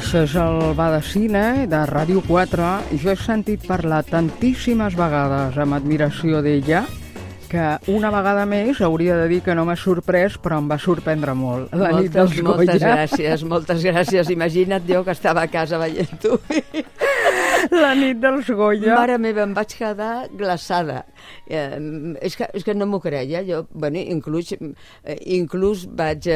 Això és el Va de Cine de Ràdio 4 i jo he sentit parlar tantíssimes vegades amb admiració d'ella que una vegada més hauria de dir que no m'ha sorprès, però em va sorprendre molt. La nit dels Goya. Moltes gràcies. Imagina't jo que estava a casa veient-ho. La nit dels Goya. Mare meva, em vaig quedar glaçada. És que no m'ho creia. Jo, bueno, inclús vaig,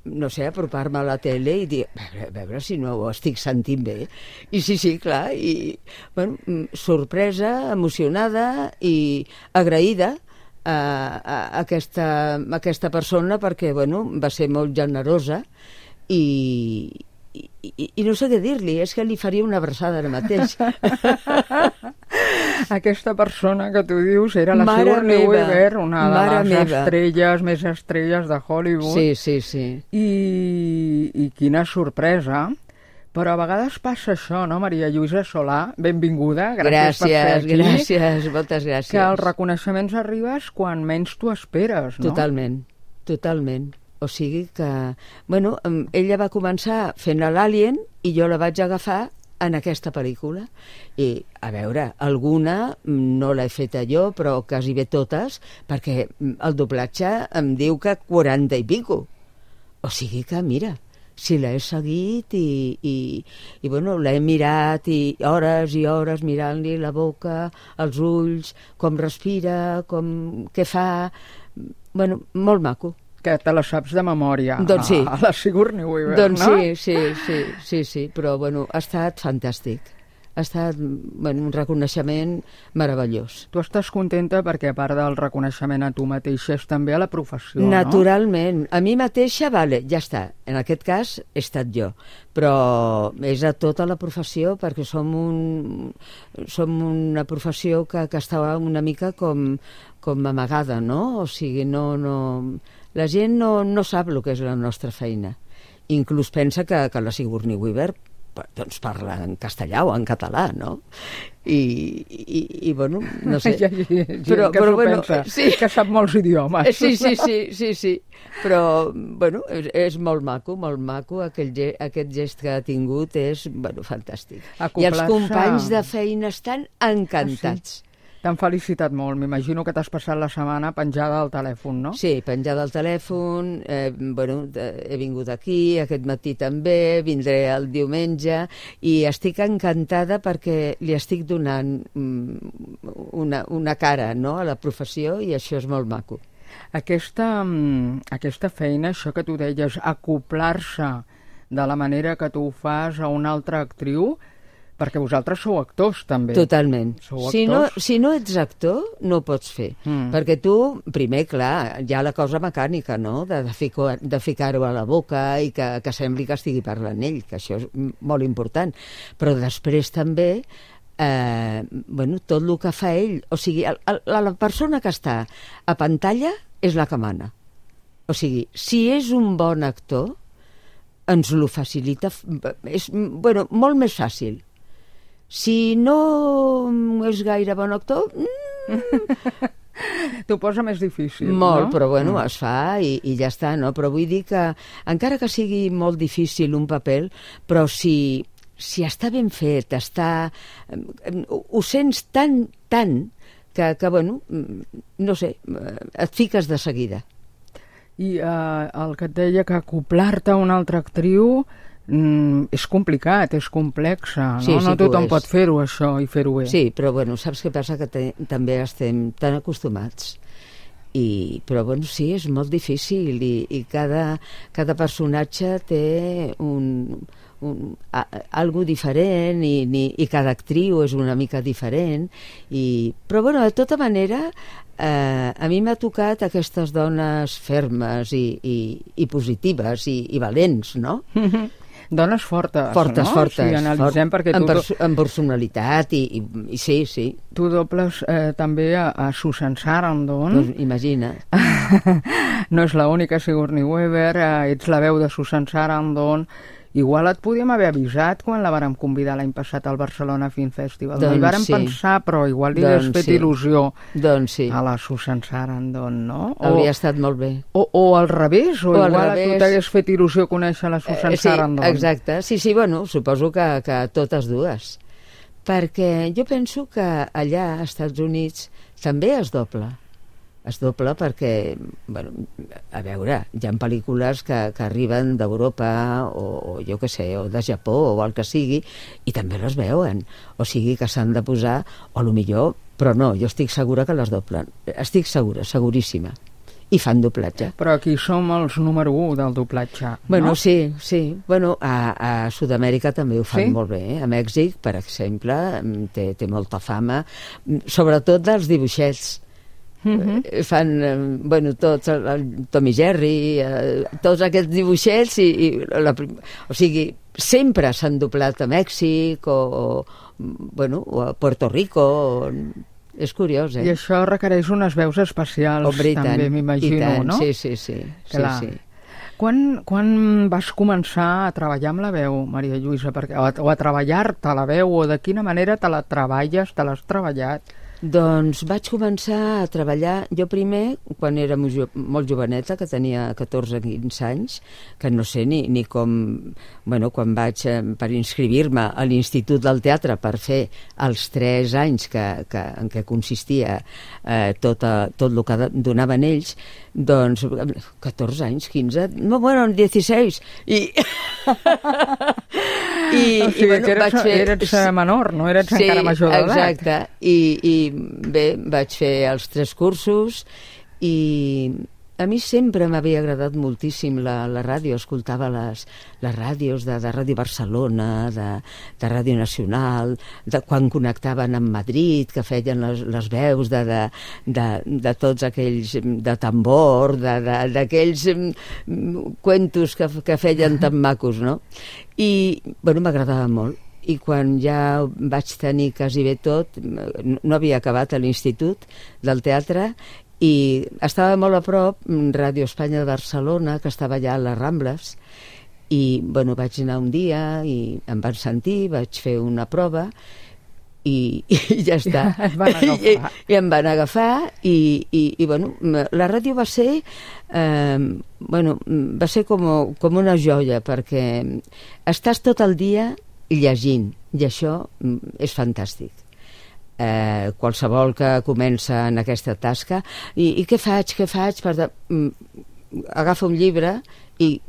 no sé, apropar-me a la tele i dir, a veure si no ho estic sentint bé. I sí, clar. I, bueno, sorpresa, emocionada i agraïda a aquesta persona perquè, bueno, va ser molt generosa i no sé què dir-li, és que li faria una abraçada ara mateix. Aquesta persona que tu dius era la Sigourney Weaver, una de les estrelles, més estrelles de Hollywood. Sí. I quina sorpresa. Però a vegades passa això, no, Maria Lluïsa Solà? Benvinguda, gràcies per ser aquí. Gràcies, moltes gràcies. Que els reconeixements arribes quan menys t'ho esperes, no? Totalment. O sigui que, bueno, ella va començar fent l'Alien i jo la vaig agafar en aquesta pel·lícula. I, a veure, alguna no l'he feta jo, però quasi bé totes, perquè el doblatge em diu que 40 i pico. O sigui que, mira, si l'he seguit i bueno, l'he mirat i hores mirant-li la boca, els ulls, com respira, què fa... Bueno, molt maco. Que te la saps de memòria, doncs sí. A la Sigourney Weaver, doncs no? Sí, però bueno, ha estat fantàstic. Ha estat un reconeixement meravellós. Tu estàs contenta perquè, a part del reconeixement a tu mateixa, és també a la professió, Naturalment. A mi mateixa, vale, ja està. En aquest cas, he estat jo. Però és a tota la professió perquè som una professió que està una mica com amagada, no? O sigui, la gent no sap el que és la nostra feina. Inclús pensa que la Sigourney Weaver doncs parla en castellà o en català, no? I bueno, no sé. Però bueno, sí, que sap molts idiomes. Sí. Però, bueno, és molt maco. Aquest gest que ha tingut és, bueno, fantàstic. I els companys de feina estan encantats. T'han felicitat molt. M'imagino que t'has passat la setmana penjada al telèfon, no? Sí, penjada al telèfon. He vingut aquí, aquest matí també, vindré el diumenge, i estic encantada perquè li estic donant una cara, no?, a la professió, i això és molt maco. Aquesta feina, això que tu deies, acoplar-se de la manera que tu ho fas a una altra actriu, perquè vosaltres sou actors, també. Totalment. Si no ets actor, no ho pots fer. Perquè tu, primer, clar, hi ha la cosa mecànica, no?, de ficar-ho a la boca i que sembli que estigui parlant ell, que això és molt important. Però després també, tot el que fa ell, o sigui, la persona que està a pantalla és la que mana. O sigui, si és un bon actor, ens ho facilita, és, molt més fàcil. Si no és gaire bon actor... T'ho posa més difícil, molt, no? Però es fa i ja està, no? Però vull dir que, encara que sigui molt difícil un paper, però si està ben fet, ho sents tant, que no sé, et fiques de seguida. I el que et deia que acoplar-te a una altra actriu... és complicat, és complexa, no? Sí, no tothom pot fer-ho, això, i fer-ho bé. Sí, però saps què passa? Que també estem tan acostumats. Però sí, és molt difícil i cada personatge té algo diferent i cada actriu és una mica diferent. Però de tota manera, a mi m'ha tocat aquestes dones fermes i positives i valents, no? Dones fortes, no? Fortes. Si analitzem, perquè en personalitat i sí. Tu dobles també a Susan Sarandon. Doncs imagina. No és l'única Sigourney Weaver, ets la veu de Susan Sarandon igual et podíem haver avisat quan la vàrem convidar l'any passat al Barcelona Film Festival. Doncs no hi vàrem sí. pensar, però igual li hagués fet il·lusió sí. a la Susan Sarandon, no? Hauria estat molt bé. O al revés, o igual a tu t'hagués fet il·lusió conèixer la Susan Sarandon. Exacte. Sí, bueno, suposo que totes dues. Perquè jo penso que allà, als Estats Units, també es dobla. Es dobla perquè, bueno, a veure, hi ha pel·lícules que arriben d'Europa o jo què sé, o de Japó o el que sigui, i també les veuen. O sigui que s'han de posar, o millor, però no, jo estic segura que les doblen. Estic segura, seguríssima. I fan doblatge. Però aquí som els número 1 del doblatge, bueno, no? Sí. Bueno, a Sud-amèrica també ho fan molt bé. A Mèxic, per exemple, té molta fama, sobretot dels dibuixets. Fan, bueno, tots, el Tom i Jerry, tots aquests dibuixets, o sigui, sempre s'han doblat a Mèxic o a Puerto Rico. És curiós, I això requereix unes veus especials, també, m'imagino, no? Sí. Quan vas començar a treballar amb la veu, Maria Lluïsa? O a treballar-te la veu, o de quina manera te la treballes, te l'has treballat? Doncs vaig començar a treballar, jo primer, quan era molt joveneta, que tenia 14-15 anys, que no sé ni com... Bueno, quan vaig per inscriure-me a l'Institut del Teatre per fer els 3 anys en què consistia tot el que donaven ells, doncs 14 anys, 15... No, bueno, 16... O sigui, bueno, que eres menor, no eres encara major d'edat. Sí, exacte. I bé, vaig fer els 3 cursos i a mi sempre m'havia agradat moltíssim la ràdio. Escoltava les ràdios de Ràdio Barcelona, de Ràdio Nacional, quan connectaven amb Madrid, que feien les veus de tots aquells de tambor, d'aquells cuentos que feien tan macos, no? I, bueno, m'agradava molt. I quan ja vaig tenir quasi bé tot, no havia acabat a l'Institut del Teatre, i estava molt a prop Ràdio Espanya de Barcelona, que estava allà a les Rambles, i bueno, vaig anar un dia i em van sentir, vaig fer una prova i ja està. I em van agafar i bueno, la ràdio va ser va ser com una joia, perquè estàs tot el dia llegint, i això és fantàstic. Qualsevol que comença en aquesta tasca i què faig agafa un llibre i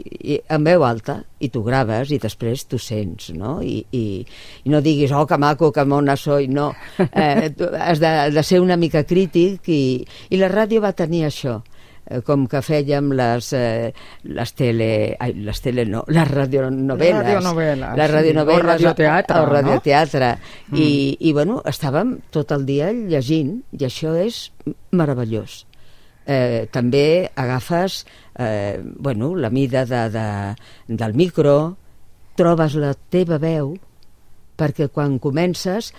en veu alta i t'ho graves i després t'ho sents, no? I no diguis, oh, que maco, que mona soy, no. Has de ser una mica crític i la ràdio va tenir això, com que fèiem les radionovel·les, o radioteatre, i bueno, estàvem tot el dia llegint, i això és meravellós. També agafes la mida del micro, trobes la teva veu, perquè quan comences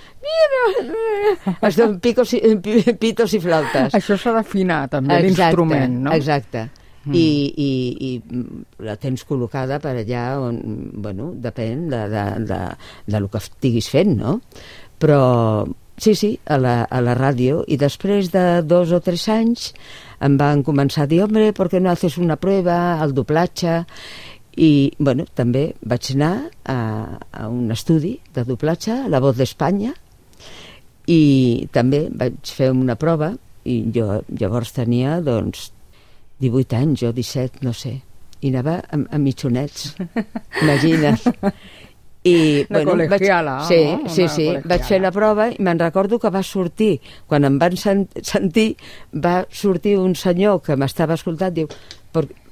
es donen pitos i flautes. Això s'ha d'afinar també, l'instrument, no? Exacte. I la tens col·locada per allà on, bueno, depèn de lo que estiguis fent, no? Però sí, a la ràdio, i després de 2 o 3 anys em van començar a dir, hombre, ¿por qué no haces una prueba al doblatge? I, bueno, també vaig anar a un estudi de doblatge, a La Voz d'Espanya, i també vaig fer una prova, i jo llavors tenia, doncs, 18 anys, o 17, no sé, i anava a mitjonets, imagina't. I, una col·legiala. Sí, vaig fer la prova i me'n recordo que va sortir, quan em van sentir, va sortir un senyor que m'estava escoltant, diu,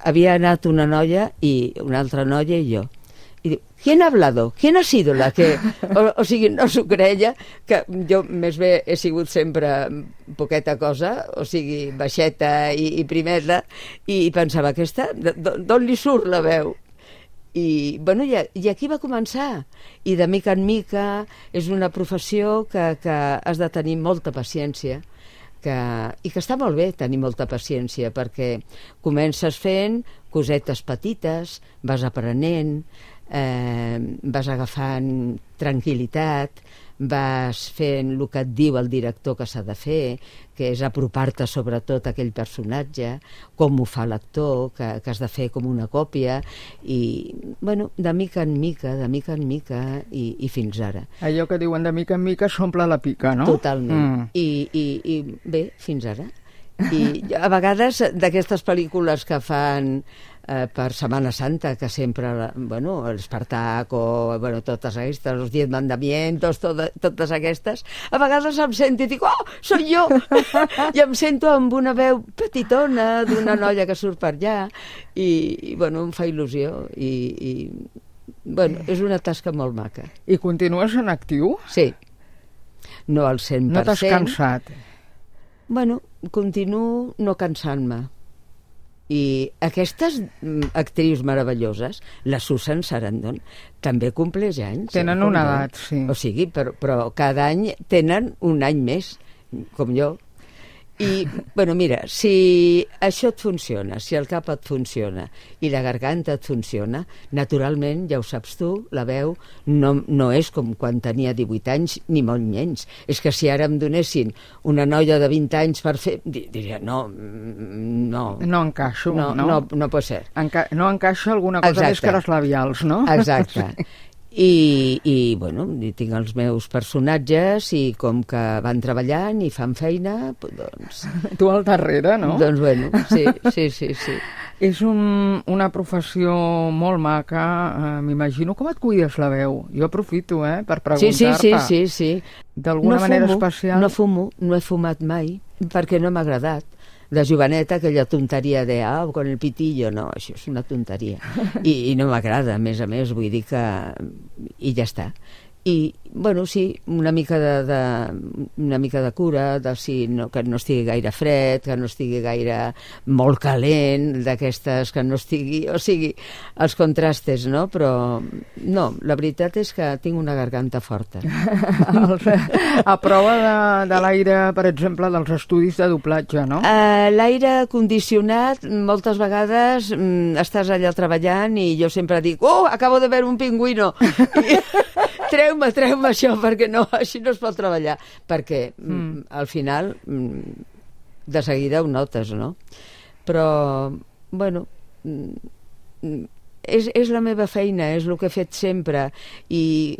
havia anat una noia i una altra noia i jo. I diu, ¿quién ha hablado? ¿Quién ha sido la que...? O sigui, no s'ho creia, que jo més bé he sigut sempre poqueta cosa, o sigui, baixeta i primeta, i pensava, aquesta, d'on li surt la veu? I, bueno, i aquí va començar. I de mica en mica és una professió que has de tenir molta paciència, i que està molt bé tenir molta paciència, perquè comences fent, cosetes petites, vas aprenent, vas agafant tranquil·litat, vas fent el que et diu el director que s'ha de fer, que és apropar-te sobretot a aquell personatge, com ho fa l'actor, que has de fer com una còpia, i, bueno, de mica en mica, i fins ara. Allò que diuen de mica en mica s'omple la pica, no? Totalment. I bé, fins ara. I a vegades d'aquestes pel·lícules que fan per Setmana Santa, que sempre, bueno, l'Espartac o, bueno, totes aquestes, els 10 mandamientos, totes aquestes, a vegades em sento i dic, oh, soc jo! I em sento amb una veu petitona d'una noia que surt per allà i bueno, em fa il·lusió i bueno, és una tasca molt maca. I continues en actiu? Sí. No al 100%. No t'has cansat? Bueno, continuo no cansant-me. I aquestes actrius meravelloses, la Susan Sarandon, també compleix anys. Tenen una edat, sí. O sigui, però cada any tenen un any més, com jo. I, bueno, mira, si això et funciona, si el cap et funciona i la garganta et funciona, naturalment, ja ho saps tu, la veu no és com quan tenia 18 anys, ni molt menys. És que si ara em donessin una noia de 20 anys per fer... diria, no. No encaixo, no? No pot ser. No encaixa alguna cosa més que les labials, no? Exacte. I bueno, tinc els meus personatges i com que van treballant i fan feina, doncs... Tu al darrere, no? Doncs bueno, sí. És una professió molt maca, m'imagino. Com et cuides la veu? Jo aprofito, per preguntar-te. Sí. D'alguna manera especial? No fumo, no he fumat mai, perquè no m'ha agradat. De joveneta, aquella tonteria de con el pitillo, no, això és una tonteria. I no m'agrada, a més, vull dir que... I ja està. I, bueno, sí, una mica de cura, que no estigui gaire fred, que no estigui gaire molt calent, d'aquestes que no estigui... O sigui, els contrastes, no? Però, no, la veritat és que tinc una garganta forta. A prova de l'aire, per exemple, dels estudis de doblatge, no? L'aire condicionat, moltes vegades estàs allà treballant i jo sempre dic, acabo de veure un pingüino! Treu-me això, perquè no, així no es pot treballar. Perquè al final de seguida ho notes, no? Però, bueno, és la meva feina, és el que he fet sempre. I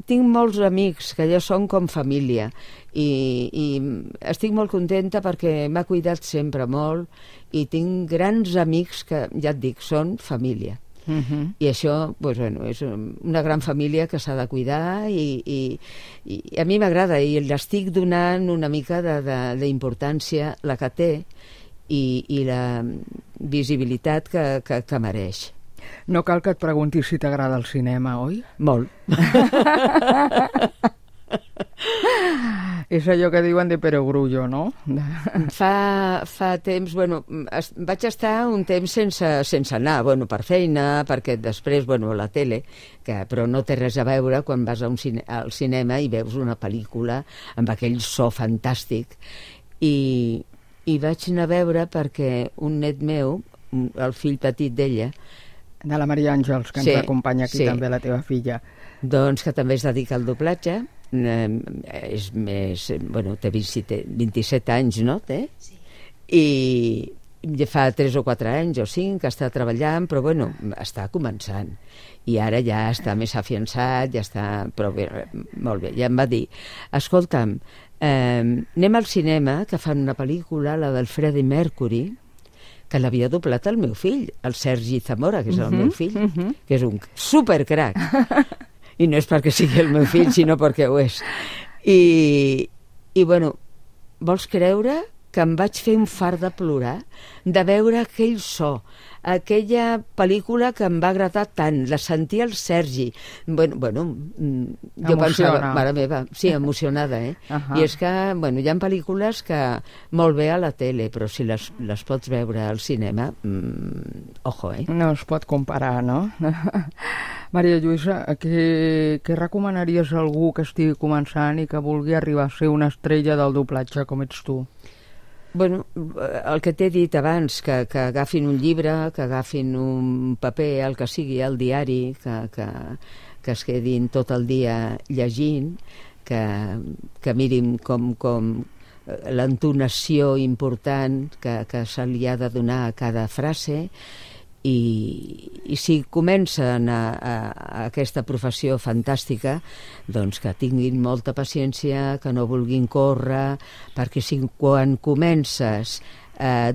tinc molts amics que ja són com família i estic molt contenta perquè m'ha cuidat sempre molt i tinc grans amics que, ja et dic, són família. I això, doncs, bueno, és una gran família que s'ha de cuidar i a mi m'agrada i l'estic donant una mica d'importància la que té i la visibilitat que mereix. No cal que et preguntis si t'agrada el cinema, oi? Molt. És allò que diuen de perogrullo, no? Fa temps, bueno, vaig estar un temps sense anar, bueno, per feina, perquè després, bueno, la tele, però no té res a veure quan vas al cinema i veus una pel·lícula amb aquell so fantàstic. I vaig anar a veure perquè un net meu, el fill petit d'ella... De la Maria Àngels, que ens acompanya aquí també, la teva filla. Doncs que també es dedica al doblatge, és més, bueno, té 27 anys, no? Sí. I ja fa 3 o 4 anys o 5 que està treballant, però bueno, està començant. I ara ja està més afiançat, ja està... Però bé, molt bé, ja em va dir, escolta'm, anem al cinema, que fan una pel·lícula, la del Freddie Mercury, que l'havia doblat el meu fill, el Sergi Zamora, que és el meu fill, que és un supercrac. I no és perquè sigui el meu fill, sinó perquè ho és. I bueno, vols creure que em vaig fer un fart de plorar de veure aquell so, aquella pel·lícula que em va agradar tant, la sentia el Sergi. Bueno, jo pensava, mare meva, sí, emocionada, I és que, bueno, hi ha pel·lícules que molt bé a la tele, però si les pots veure al cinema, ojo, No es pot comparar, no? Maria Lluïsa, què recomanaries a algú que estigui començant i que vulgui arribar a ser una estrella del doblatge com ets tu? Bueno, el que t'he dit abans, que agafin un llibre, que agafin un paper, el que sigui, el diari, que es quedin tot el dia llegint, que mirin com l'entonació important que se li ha de donar a cada frase, i si comencen a aquesta professió fantàstica, doncs que tinguin molta paciència, que no vulguin córrer, perquè si quan comences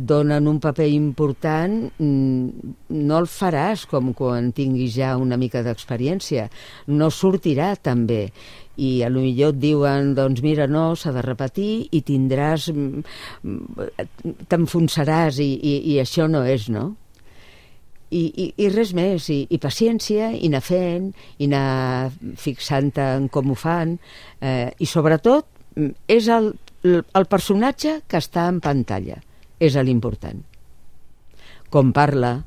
donen un paper important, no el faràs com quan tinguis ja una mica d'experiència, no sortirà tan bé, i a lo millor et diuen, doncs mira, no, s'ha de repetir i tindràs, t'enfonsaràs, i això no és, no? I res més, i paciència, i anar fent, i anar fixant-te en com ho fan, i sobretot és el personatge que està en pantalla, és l'important. Com parla,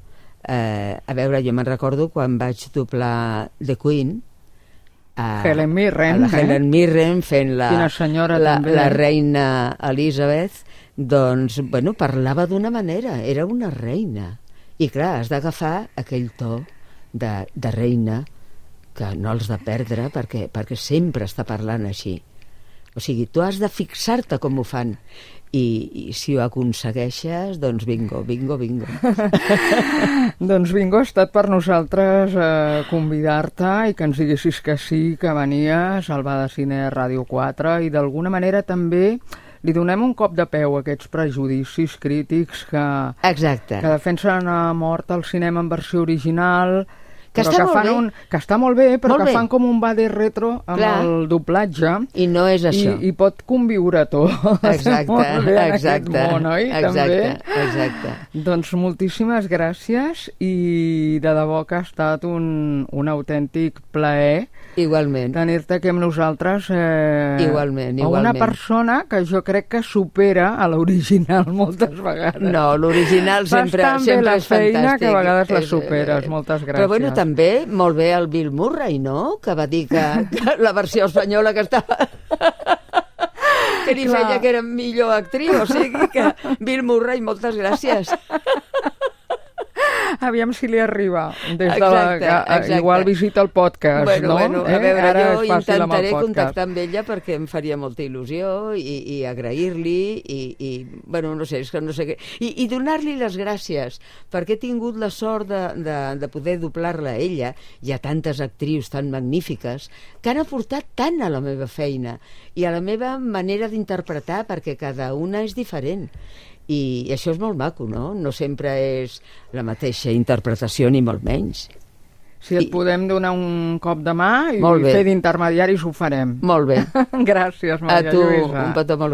a veure, jo me'n recordo quan vaig doblar The Queen, Helen Mirren, la Helen Mirren fent la reina Elizabeth, doncs, bueno, parlava d'una manera, era una reina. I clar, has d'agafar aquell to de reina que no els de perdre perquè sempre està parlant així. O sigui, tu has de fixar-te com ho fan i si ho aconsegueixes, doncs bingo, bingo, bingo. Doncs bingo, ha estat per nosaltres convidar-te i que ens diguessis que sí, que venies al Bar de Cine Ràdio 4 i d'alguna manera també li donem un cop de peu a aquests prejudicis crítics que defensen a mort el cinema en versió original, que està molt bé, però que fan com un va de retro amb el doblatge. I no és això. I pot conviure tot. Exacte. Món, oi? Exacte. Doncs moltíssimes gràcies i de debò que ha estat un autèntic plaer tenir-te aquí amb nosaltres. Igualment. Una persona que jo crec que supera a l'original moltes vegades. No, l'original sempre és fantàstic. La feina que a vegades la superes. Moltes gràcies. Però bueno, també molt bé el Bill Murray, no? Que va dir que la versió espanyola que estava... que ni feia que era millor actriu, o sigui que Bill Murray, moltes gràcies. Aviam si li arriba. Exacte. Igual visita el podcast, no? Bueno, a veure, jo intentaré contactar amb ella perquè em faria molta il·lusió i agrair-li i bueno, no sé, és que no sé què. I donar-li les gràcies perquè he tingut la sort de poder doblar-la a ella. Hi ha tantes actrius tan magnífiques que han aportat tant a la meva feina i a la meva manera d'interpretar perquè cada una és diferent. I això és molt maco, no? No sempre és la mateixa interpretació, ni molt menys. Si et podem donar un cop de mà i fer d'intermediaris, ho farem. Molt bé. Gràcies, Maria Lluïsa. A tu, un petó molt